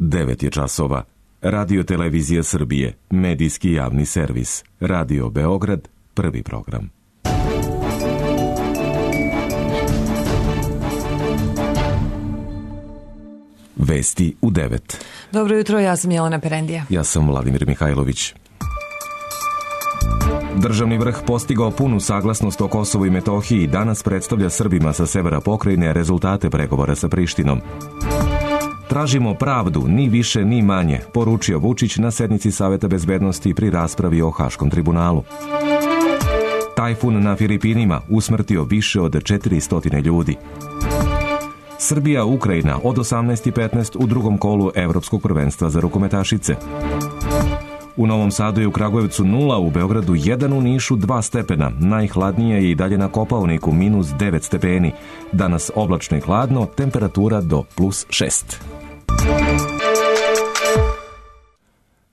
9 je časova. Radio Televizija Srbije, medijski javni servis. Radio Beograd, prvi program. Vesti u 9. Dobro jutro, ja sam Jelena Perendija. Ja sam Vladimir Mihajlović. Državni vrh postigao punu saglasnost o Kosovu i Metohiji i danas predstavlja Srbima sa severa pokrajine rezultate pregovora sa Prištinom. Tražimo pravdu, ni više ni manje, poručio Vučić na sednici Saveta bezbednosti pri raspravi o Haškom tribunalu. Tajfun na Filipinima usmrtio više od 400 ljudi. Srbija-Ukrajina od 18:15 u drugom kolu Evropskog prvenstva za rukometašice. U Novom Sadu i u Kragujevcu 0, u Beogradu 1, u Nišu 2 stepena. Najhladnije je i dalje na Kopaoniku, -9 stepeni. Danas oblačno i hladno, temperatura do +6.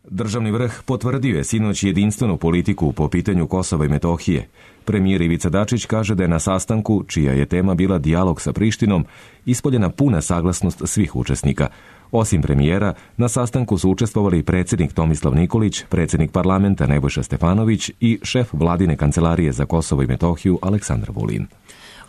Državni vrh potvrdio je sinoć jedinstvenu politiku po pitanju Kosova i Metohije. Premijer Ivica Dačić kaže da je na sastanku, čija je tema bila dijalog sa Prištinom, ispoljena puna saglasnost svih učesnika. Osim premijera, na sastanku su učestvovali predsjednik Tomislav Nikolić, predsjednik parlamenta Nebojša Stefanović i šef vladine kancelarije za Kosovo i Metohiju Aleksandar Vulin.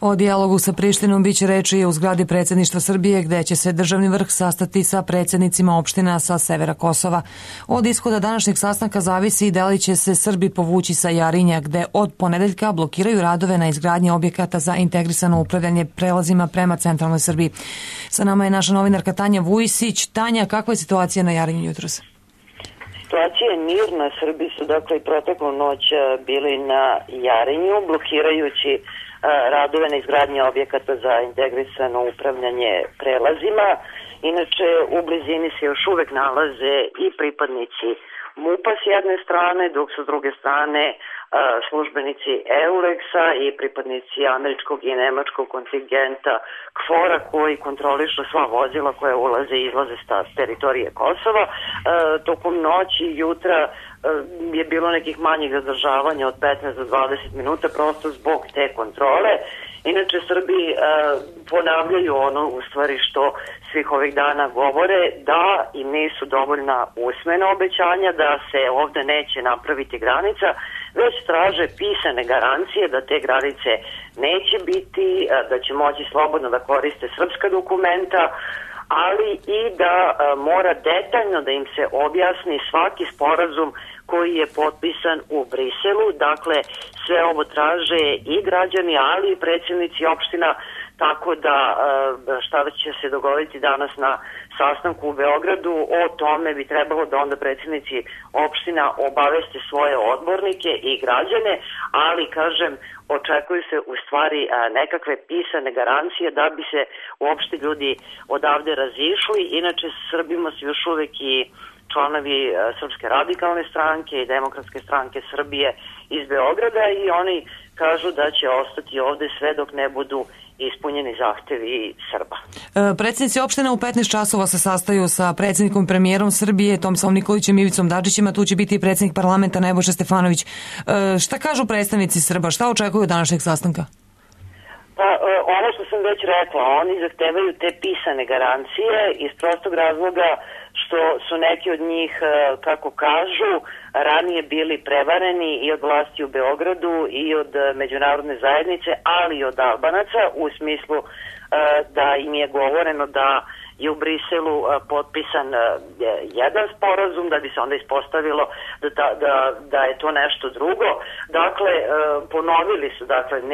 O dijalogu sa Prištinom biće reči i u zgradi predsjedništva Srbije, gde će se državni vrh sastati sa predsjednicima opština sa severa Kosova. Od ishoda današnjeg sastanka zavisi i da li će se Srbi povući sa Jarinja, gde od ponedeljka blokiraju radove na izgradnji objekata za integrisano upravljanje prelazima prema centralnoj Srbiji. Sa nama je naša novinarka Tanja Vujisić. Tanja, kakva je situacija na Jarinju jutros? Situacija je mirna. Srbi su dakle i proteklu noć bili na Jarinju, blokirajući radove na izgradnji objekata za integrisano upravljanje prelazima. Inače, u blizini se još uvek nalaze i pripadnici MUP-a s jedne strane, dok su s druge strane službenici EULEX-a i pripadnici američkog i nemačkog kontingenta KFOR-a koji kontrolišu sva vozila koja ulaze i izlaze sa teritorije Kosova. Tokom noći i jutra je bilo nekih manjih zadržavanja od 15 do 20 minuta prosto zbog te kontrole. Inače, Srbi ponavljaju ono u stvari što svih ovih dana govore, da im nisu dovoljna usmena obećanja, da se ovde neće napraviti granica, već traže pisane garancije da te granice neće biti, da će moći slobodno da koriste srpska dokumenta, ali i da mora detaljno da im se objasni svaki sporazum koji je potpisan u Briselu. Dakle, sve ovo traže i građani, ali i predsjednici opština, tako da šta će se dogoditi danas na sastanku u Beogradu, o tome bi trebalo da onda predsjednici opština obaveste svoje odbornike i građane, ali kažem, očekuju se u stvari nekakve pisane garancije da bi se uopšte ljudi odavde razišli. Inače, Srbima su još uvek i članovi Srpske radikalne stranke i Demokratske stranke Srbije iz Beograda i oni kažu da će ostati ovde sve dok ne budu ispunjeni zahtevi Srba. Predsjednici opština u 15 časova se sastaju sa predsjednikom i premijerom Srbije Tomislavom Nikolićem i Ivicom Dačićem, a tu će biti i predsjednik parlamenta Nebojša Stefanović. Šta kažu predstavnici Srba? Šta očekuju od današnjeg sastanka? Pa, ono što sam već rekla, oni zahtevaju te pisane garancije iz prostog razloga što su neki od njih, kako kažu, ranije bili prevareni i od vlasti u Beogradu i od međunarodne zajednice, ali i od Albanaca, u smislu da im je govoreno da je u Briselu potpisan jedan sporazum, da bi se onda ispostavilo da je to nešto drugo. Dakle, ponovili su,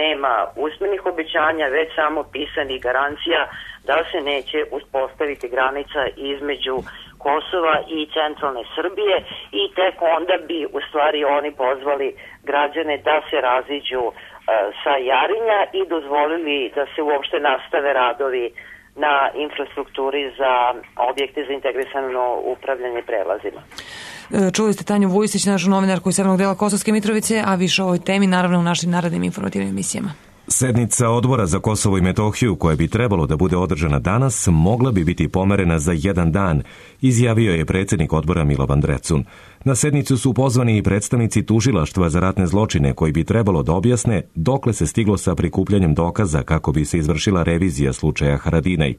nema usmenih obećanja, već samo pisanih garancija da se neće uspostaviti granica između Kosova i centralne Srbije i tek onda bi u stvari oni pozvali građane da se raziđu sa Jarinja i dozvolili da se uopšte nastave radovi na infrastrukturi za objekte za integrisano upravljanje prelazima. Čuli ste Tanju Vujisić, našu novinarku iz severnog dela Kosovske Mitrovice, a više o ovoj temi naravno u našim narednim informativnim emisijama. Sednica Odbora za Kosovo i Metohiju, koja bi trebalo da bude održana danas, mogla bi biti pomerena za jedan dan, izjavio je predsjednik odbora Milovan Drecun. Na sednicu su pozvani i predstavnici tužilaštva za ratne zločine koji bi trebalo da objasne dokle se stiglo sa prikupljanjem dokaza kako bi se izvršila revizija slučaja Haradinaj.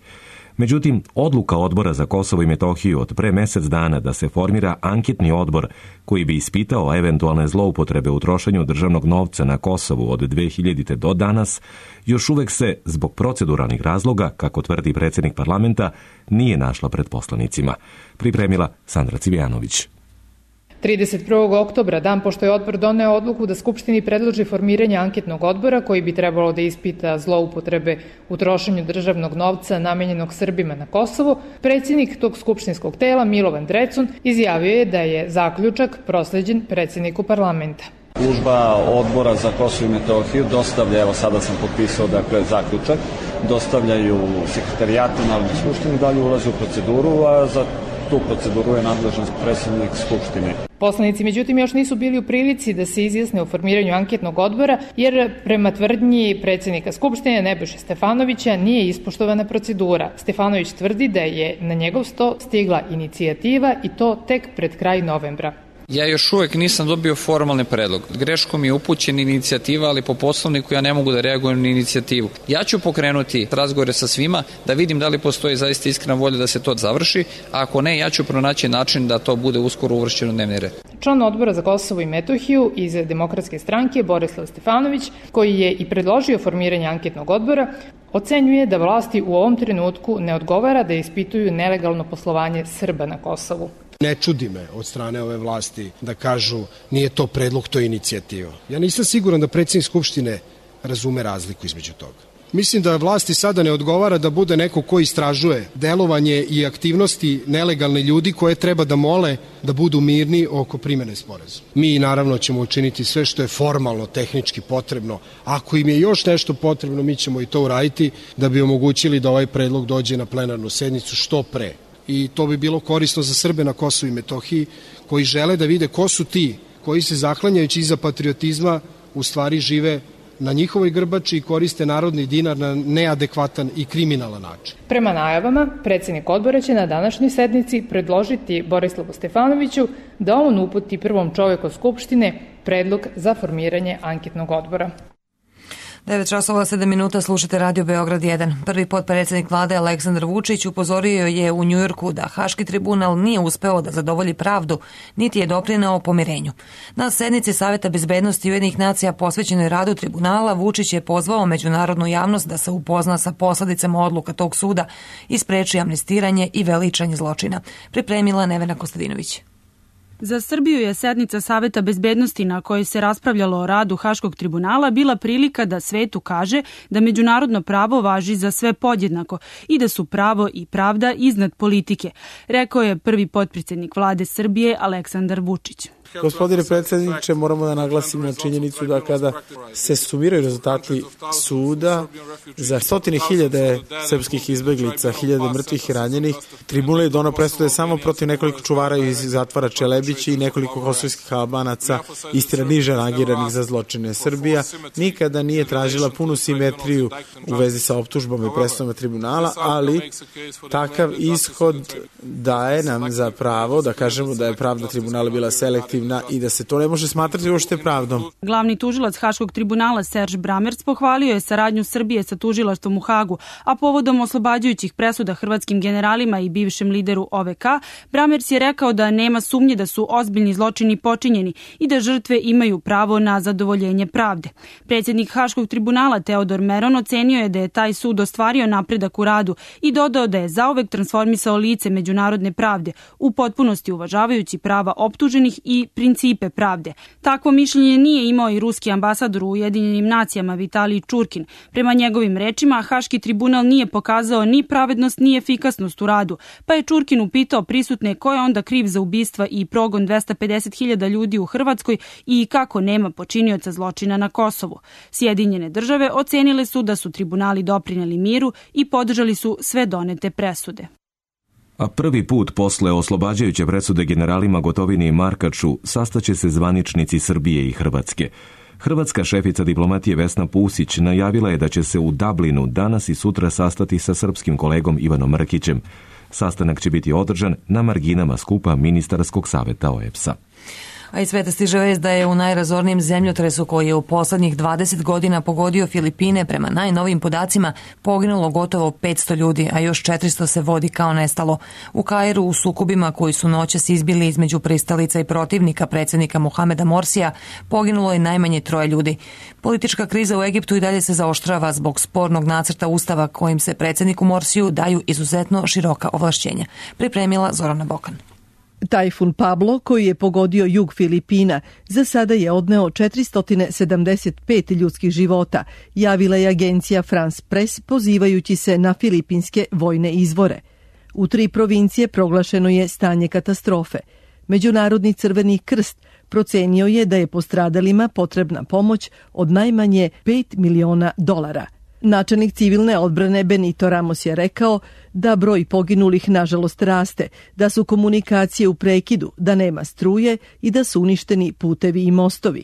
Međutim, odluka Odbora za Kosovo i Metohiju od pre mesec dana da se formira anketni odbor koji bi ispitao eventualne zloupotrebe u trošenju državnog novca na Kosovu od 2000. do danas, još uvek se, zbog proceduralnih razloga, kako tvrdi predsjednik parlamenta, nije našla pred poslanicima. Pripremila Sandra Cvijanović. 31. oktobra, dan pošto je odbor doneo odluku da Skupštini predloži formiranje anketnog odbora koji bi trebalo da ispita zloupotrebe u trošenju državnog novca namenjenog Srbima na Kosovu, predsjednik tog skupštinskog tela Milovan Drecun izjavio je da je zaključak prosleđen predsjedniku parlamenta. Služba Odbora za Kosovo i Metohiju dostavlja, evo sada sam potpisao zaključak, dostavljaju sekretarijatu Narodne skupštine, dalje ulaze u proceduru, a za tu proceduru je nadležan predsjednik Skupštine. Poslanici međutim još nisu bili u prilici da se izjasne o formiranju anketnog odbora, jer prema tvrdnji predsjednika Skupštine Nebojše Stefanovića nije ispoštovana procedura. Stefanović tvrdi da je na njegov sto stigla inicijativa i to tek pred kraj novembra. Ja još uvek nisam dobio formalni predlog. Greškom je upućena inicijativa, ali po poslovniku ja ne mogu da reagujem na inicijativu. Ja ću pokrenuti razgovore sa svima da vidim da li postoji zaista iskrena volja da se to završi, a ako ne, ja ću pronaći način da to bude uskoro uvršćeno u dnevni red. Član Odbora za Kosovo i Metohiju iz Demokratske stranke Borislav Stefanović, koji je i predložio formiranje anketnog odbora, ocenjuje da vlasti u ovom trenutku ne odgovara da ispituju nelegalno poslovanje Srba na Kosovu. Ne čudi me od strane ove vlasti da kažu nije to predlog, to je inicijativa. Ja nisam siguran da predsjednik Skupštine razume razliku između toga. Mislim da vlasti sada ne odgovara da bude neko ko istražuje delovanje i aktivnosti nelegalne ljudi koje treba da mole da budu mirni oko primene sporazuma. Mi naravno ćemo učiniti sve što je formalno, tehnički potrebno. Ako im je još nešto potrebno, mi ćemo i to uraditi da bi omogućili da ovaj predlog dođe na plenarnu sednicu što pre. I to bi bilo korisno za Srbe na Kosovu i Metohiji koji žele da vide ko su ti koji se zaklanjajući iza patriotizma u stvari žive na njihovoj grbači i koriste narodni dinar na neadekvatan i kriminalan način. Prema najavama, predsjednik odbora će na današnjoj sednici predložiti Borislavu Stefanoviću da on uputi prvom čoveku Skupštine predlog za formiranje anketnog odbora. 9:07 slušate Radio Beograd 1. Prvi potpredsjednik vlade Aleksandar Vučić upozorio je u Njujorku da Haški tribunal nije uspeo da zadovolji pravdu, niti je doprineo pomirenju. Na sednici Saveta bezbednosti Ujedinjenih nacija posvećenoj radu tribunala Vučić je pozvao međunarodnu javnost da se upozna sa posledicama odluka tog suda i spreči amnestiranje i veličanje zločina. Pripremila Nevena Kostadinović. Za Srbiju je sednica Saveta bezbednosti na kojoj se raspravljalo o radu Haškog tribunala bila prilika da svetu kaže da međunarodno pravo važi za sve podjednako i da su pravo i pravda iznad politike, rekao je prvi potpredsjednik vlade Srbije Aleksandar Vučić. Gospodine predsjedniče, moramo da naglasimo činjenicu da kada se sumiraju rezultati suda za stotine hiljade srpskih izbeglica, hiljade mrtvih i ranjenih, tribunal je doneo presude samo protiv nekoliko čuvara iz zatvora Čelebići i nekoliko kosovskih Albanaca, istina niže rangiranih za zločine. Srbija nikada nije tražila punu simetriju u vezi sa optužbama i presudama tribunala, ali takav ishod daje nam za pravo da kažemo da je pravda tribunala bila selektivna i da se to ne može smatrati uopšte pravdom. Glavni tužilac Haškog tribunala Serž Bramerc pohvalio je saradnju Srbije sa tužilaštvom u Hagu, a povodom oslobađajućih presuda hrvatskim generalima i bivšem lideru OVK, Bramerc je rekao da nema sumnje da su ozbiljni zločini počinjeni i da žrtve imaju pravo na zadovoljenje pravde. Predsjednik Haškog tribunala Teodor Meron ocenio je da je taj sud ostvario napredak u radu i dodao da je zauvek transformisao lice međunarodne pravde, u potpunosti uvažavajući prava optuženih i principe pravde. Takvo mišljenje nije imao i ruski ambasador u Ujedinjenim nacijama Vitalij Čurkin. Prema njegovim rečima, Haški tribunal nije pokazao ni pravednost ni efikasnost u radu, pa je Čurkin upitao prisutne ko je onda kriv za ubistva i progon 250.000 ljudi u Hrvatskoj i kako nema počinioca zločina na Kosovu. Sjedinjene države ocenile su da su tribunali doprineli miru i podržali su sve donete presude. A prvi put posle oslobađajuće presude generalima Gotovini i Markaču sastaće se zvaničnici Srbije i Hrvatske. Hrvatska šefica diplomatije Vesna Pusić najavila je da će se u Dublinu danas i sutra sastati sa srpskim kolegom Ivanom Mrkićem. Sastanak će biti održan na marginama skupa Ministarskog saveta OEBS-a. A iz sveta stiže vest da je u najrazornijem zemljotresu koji je u poslednjih 20 godina pogodio Filipine, prema najnovijim podacima poginulo gotovo 500 ljudi, a još 400 se vodi kao nestalo. U Kairu u sukobima koji su noćas izbili između pristalica i protivnika predsjednika Mohameda Morsija poginulo je najmanje 3 ljudi. Politička kriza u Egiptu i dalje se zaoštrava zbog spornog nacrta ustava kojim se predsjedniku Morsiju daju izuzetno široka ovlašćenja. Pripremila Zorana Bokan. Tajfun Pablo, koji je pogodio jug Filipina, za sada je odneo 475 ljudskih života, javila je agencija France Press pozivajući se na filipinske vojne izvore. U 3 provincije proglašeno je stanje katastrofe. Međunarodni crveni krst procenio je da je postradalima potrebna pomoć od najmanje $5 miliona. Načelnik civilne odbrane Benito Ramos je rekao da broj poginulih nažalost raste, da su komunikacije u prekidu, da nema struje i da su uništeni putevi i mostovi.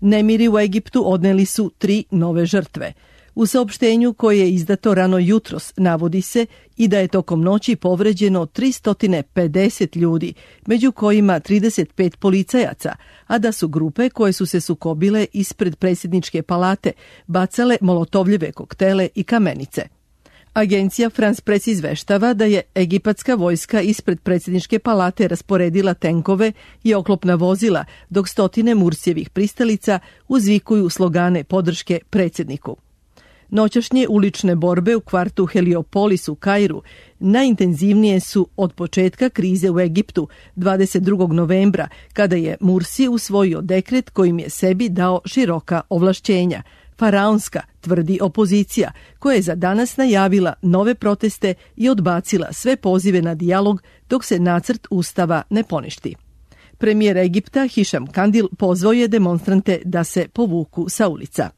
Nemiri u Egiptu odneli su 3 nove žrtve. U saopštenju koje je izdato rano jutros navodi se i da je tokom noći povređeno 350 ljudi, među kojima 35 policajaca, a da su grupe koje su se sukobile ispred predsjedničke palate bacale molotovljive koktele i kamenice. Agencija France Press izveštava da je egipatska vojska ispred predsjedničke palate rasporedila tenkove i oklopna vozila, dok stotine Mursijevih pristalica uzvikuju slogane podrške predsjedniku. Noćašnje ulične borbe u kvartu Heliopolis u Kairu najintenzivnije su od početka krize u Egiptu 22. novembra, kada je Mursi usvojio dekret kojim je sebi dao široka ovlašćenja. Faraonska, tvrdi opozicija, koja je za danas najavila nove proteste i odbacila sve pozive na dijalog dok se nacrt ustava ne poništi. Premijer Egipta Hišam Kandil pozvao je demonstrante da se povuku sa ulica.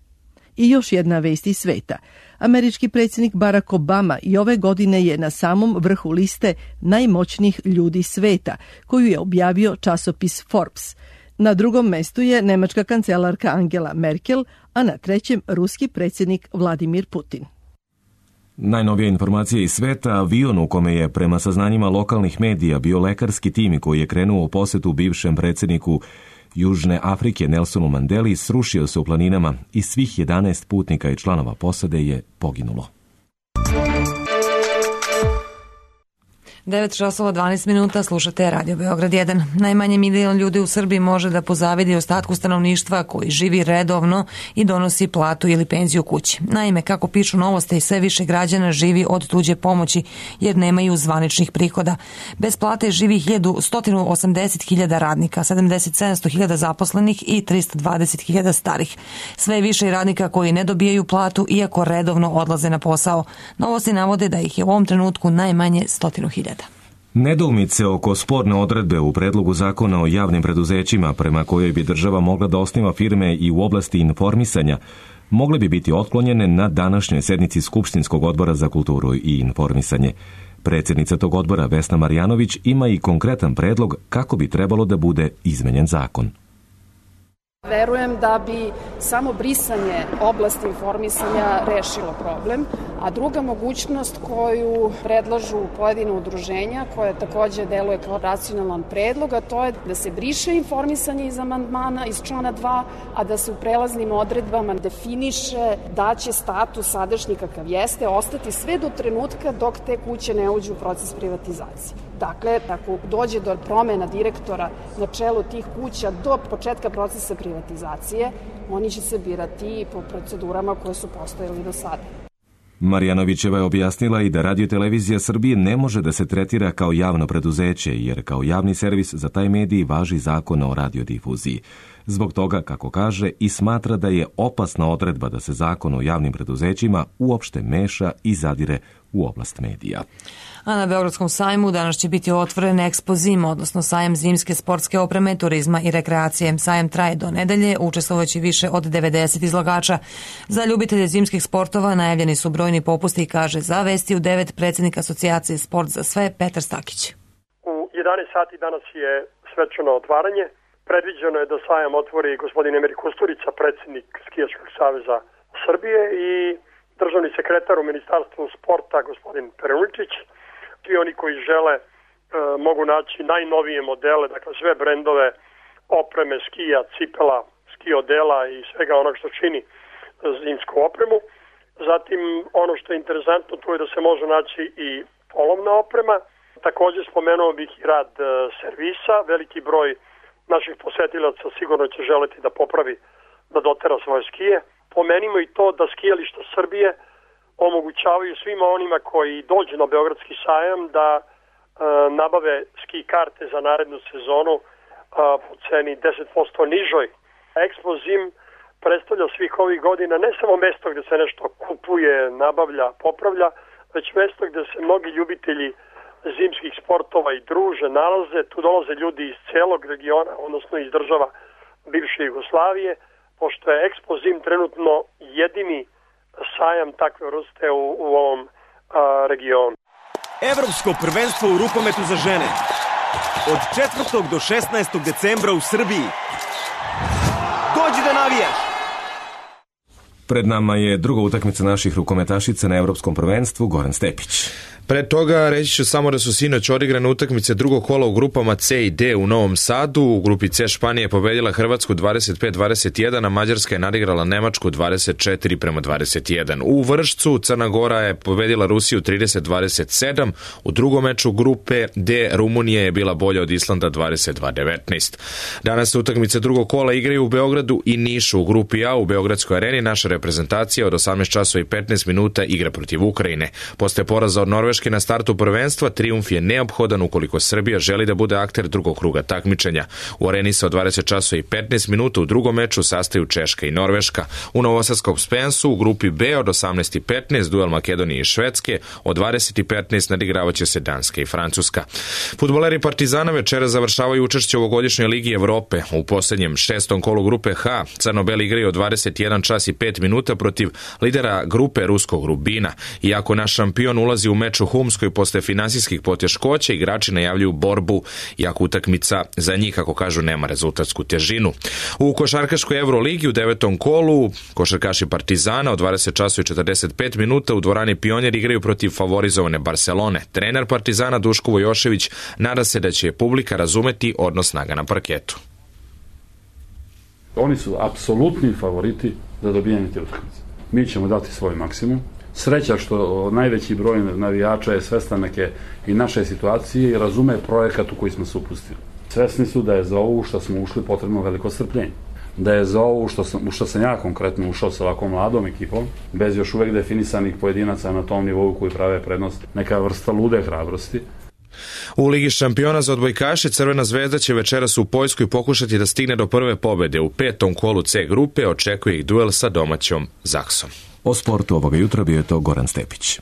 I još jedna vest iz sveta. Američki predsjednik Barack Obama i ove godine je na samom vrhu liste najmoćnijih ljudi sveta, koju je objavio časopis Forbes. Na drugom mestu je nemačka kancelarka Angela Merkel, a na 3. ruski predsjednik Vladimir Putin. Najnovije informacije iz sveta, avion u kome je prema saznanjima lokalnih medija bio lekarski tim koji je krenuo u posetu bivšem predsjedniku Južne Afrike Nelsonu Mandeli srušio se u planinama i svih 11 putnika i članova posade je poginulo. 9:12 slušate Radio Beograd 1. Najmanje 1 milion ljudi u Srbiji može da pozavidi ostatku stanovništva koji živi redovno i donosi platu ili penziju kući. Naime, kako pišu Novosti, sve više građana živi od tuđe pomoći jer nemaju zvaničnih prihoda. Bez plate živi 180.000 radnika, 77.000 zaposlenih i 320.000 starih. Sve više radnika koji ne dobijaju platu iako redovno odlaze na posao. Novosti navode da ih je u ovom trenutku najmanje 100.000. Nedoumice oko sporne odredbe u predlogu zakona o javnim preduzećima prema kojoj bi država mogla da osniva firme i u oblasti informisanja mogle bi biti otklonjene na današnjoj sednici Skupštinskog odbora za kulturu i informisanje. Predsjednica tog odbora Vesna Marjanović ima i konkretan predlog kako bi trebalo da bude izmenjen zakon. Verujem da bi samo brisanje oblasti informisanja rešilo problem, a druga mogućnost koju predlažu pojedine udruženja, koja takođe deluje kao racionalan predlog, a to je da se briše informisanje iz amandmana iz člana 2, a da se u prelaznim odredbama definiše da će status sadašnji kakav jeste ostati sve do trenutka dok te kuće ne uđu u proces privatizacije. Dakle, ako dođe do promena direktora na čelu tih kuća do početka procesa privatizacije, oni će se birati po procedurama koje su postojali do sada. Marjanovićeva je objasnila i da Radio-televizija Srbije ne može da se tretira kao javno preduzeće, jer kao javni servis za taj medij važi Zakon o radiodifuziji. Zbog toga, kako kaže, i smatra da je opasna odredba da se Zakon o javnim preduzećima uopšte meša i zadire u oblast medija. A na Beogradskom sajmu danas će biti otvoren Expo Zim, odnosno sajam zimske sportske opreme, turizma i rekreacije. Sajam traje do nedelje, učestvovaće više od 90 izlagača. Za ljubitelje zimskih sportova najavljeni su brojni popusti, kaže za Vesti u 9 predsjednik asocijacije Sport za sve Petar Stakić. U 11 sati danas je svečano otvaranje. Predviđeno je da sajam otvori gospodin Emir Kusturica, predsjednik Skijaškog saveza Srbije, i državni sekretar u Ministarstvu sporta gospodin Peruničić. Svi oni koji žele mogu naći najnovije modele, dakle sve brendove opreme, skija, cipela, ski odela i svega onog što čini zimsku opremu. Zatim ono što je interesantno to je da se može naći i polovna oprema. Također spomenuo bih i rad servisa. Veliki broj naših posetilaca sigurno će želeti da popravi, da dotera svoje skije. Pomenimo i to da skijališta Srbije omogućavaju svima onima koji dođu na Beogradski sajam da nabave ski karte za narednu sezonu po ceni 10% nižoj. Expo Zim predstavlja svih ovih godina ne samo mesto gde se nešto kupuje, nabavlja, popravlja, već mesto gde se mnogi ljubitelji zimskih sportova i druže, nalaze. Tu dolaze ljudi iz celog regiona, odnosno iz država bivše Jugoslavije, pošto je Expo Zim trenutno jedini sajam takve vrste u ovom regionu. Evropsko prvenstvo u rukometu za žene. Od 4. do 16. decembra u Srbiji. Dođi da navijaš! Pred nama je druga utakmica naših rukometašica na Evropskom prvenstvu, Goran Stepić. Pre toga reći ću samo da su sinoć odigrane utakmice drugog kola u grupama C i D u Novom Sadu. U grupi C Španija je pobedila Hrvatsku 25-21, a Mađarska je nadigrala Nemačku 24-21. U Vršcu Crna Gora je pobedila Rusiju 30-27. U drugom meču grupe D Rumunija je bila bolja od Islanda 22-19. Danas utakmice drugog kola igraju u Beogradu i Nišu. U grupi A u Beogradskoj areni naša reprezentacija od 18 časova i 15 minuta igra protiv Ukrajine. Posle poraza od Norveške na startu prvenstva, trijumf je neophodan ukoliko Srbija želi da bude akter drugog kruga takmičenja. U areni se od 20 časova i 15 minuta u drugom meču sastaju Češka i Norveška. U Novosadskom Spensu u grupi B od 18:15 duel Makedonije i Švedske, od 20:15 nadigravaće se Danska i Francuska. Fudbaleri Partizana večera završavaju učešće u ovogodišnjoj Ligi Evrope. U posljednjem 6. kolu grupe H crno-beli igraju od 21 čas i 5 minuta protiv lidera grupe ruskog Rubina. Iako naš šampion ulazi u meč u Humskoj posle finansijskih poteškoća, igrači najavljuju borbu, iako utakmica za njih, kako kažu, nema rezultatsku težinu. U košarkaškoj Euroligi u 9. kolu košarkaši Partizana od 20 časova i 45 minuta u dvorani Pionir igraju protiv favorizovane Barcelone. Trener Partizana Duško Vojošević nada se da će publika razumeti odnos snaga na parketu. Oni su apsolutni favoriti za dobijanje te utakmice. Mi ćemo dati svoj maksimum. Sreća što najveći broj navijača je svestan neke i naše situacije i razume projekat u koji smo se upustili. Svesni su da je za ovu što smo ušli potrebno veliko strpljenje. Da je za ovu što sam ja konkretno ušao sa ovakvom mladom ekipom, bez još uvek definisanih pojedinaca na tom nivou koji prave prednost, neka vrsta lude hrabrosti. U Ligi šampiona za odbojkaše Crvena zvezda će večeras u Poljskoj pokušati da stigne do prve pobede. U 5. kolu C grupe očekuje ih duel sa domaćom Zaksom. O sportu ovoga jutra bio je to Goran Stepić.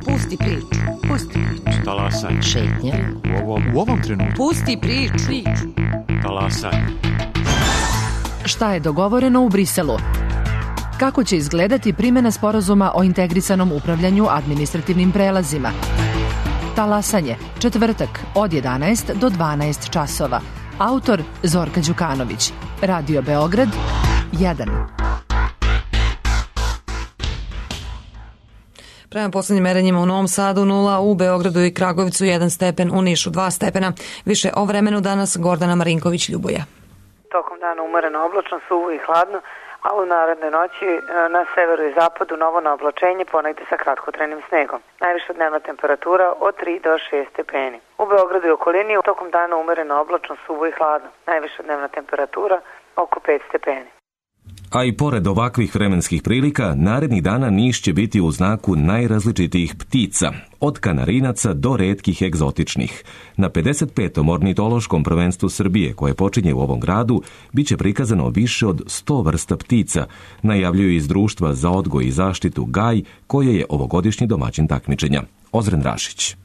Pusti priču. Pusti priču. Talasaj. Šetnja. U ovom trenutku. Pusti priču. Talasaj. Šta je dogovoreno u Briselu? Kako će izgledati primjena sporazuma o integrisanom upravljanju administrativnim prelazima? Talasanje, četvrtak, od 11 do 12 časova. Autor Zorka Đukanović. Radio Beograd 1. Prema poslednjim merenjima u Novom Sadu 0, u Beogradu i Kragujevcu 1 stepen, u Nišu 2 stepena. Više o vremenu danas Gordana Marinković-Ljuboja. Tokom dana umereno oblačno, suvo i hladno, a u narednoj noći na severu i zapadu novo na oblačenje, ponegde sa kratkotrenim snegom. Najviša dnevna temperatura od 3 do 6 stepeni. U Beogradu i okolini tokom dana umereno oblačno, suvo i hladno. Najviša dnevna temperatura oko 5 stepeni. A i pored ovakvih vremenskih prilika, narednih dana Niš će biti u znaku najrazličitijih ptica, od kanarinaca do retkih egzotičnih. Na 55. ornitološkom prvenstvu Srbije, koje počinje u ovom gradu, bit će prikazano više od 100 vrsta ptica, najavljuju iz Društva za odgoj i zaštitu Gaj, koje je ovogodišnji domaćin takmičenja. Ozren Rašić.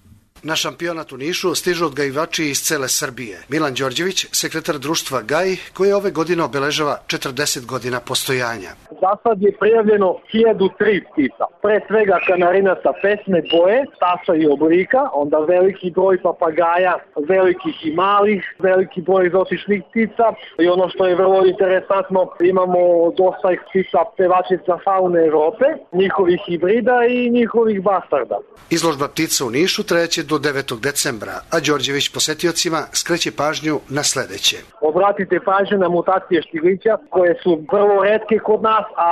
Na šampionat u Nišu stižu odgajivači iz cele Srbije. Milan Đorđević, sekretar društva Gaj, koji ove godine obeležava 40 godina postojanja. Za sad je prijavljeno 1003 ptica. Pre svega kanarinaca pesme boje, tasa i oblika, onda veliki broj papagaja, velikih i malih, veliki broj egzotičnih ptica. I ono što je vrlo interesantno, imamo dosta ptica pevačica faune Evrope, njihovih hibrida i njihovih bastarda. Izložba ptica u Nišu trajeće do 9. decembra, a Đorđević posetiocima skreće pažnju na sledeće. Obratite pažnju na mutacije štilića koje su vrlo retke kod nas, a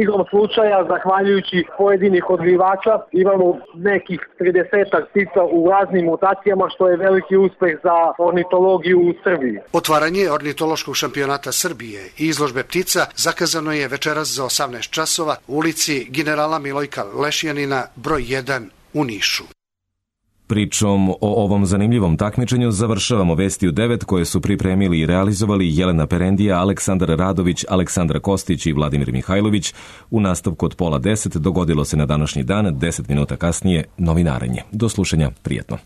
igrom slučaja, zahvaljujući pojedinih odgajivača, imamo nekih 30 ptica u raznim mutacijama, što je veliki uspeh za ornitologiju u Srbiji. Otvaranje ornitološkog šampionata Srbije i izložbe ptica zakazano je večeras za 18 časova u ulici generala Milojka Lešijanina broj 1 u Nišu. Pričom o ovom zanimljivom takmičenju završavamo vesti u 9 koje su pripremili i realizovali Jelena Perendija, Aleksandar Radović, Aleksandra Kostić i Vladimir Mihajlović. U nastavku od 9:30 dogodilo se na današnji dan, 10 minuta kasnije, novinarenje. Do slušanja, prijetno.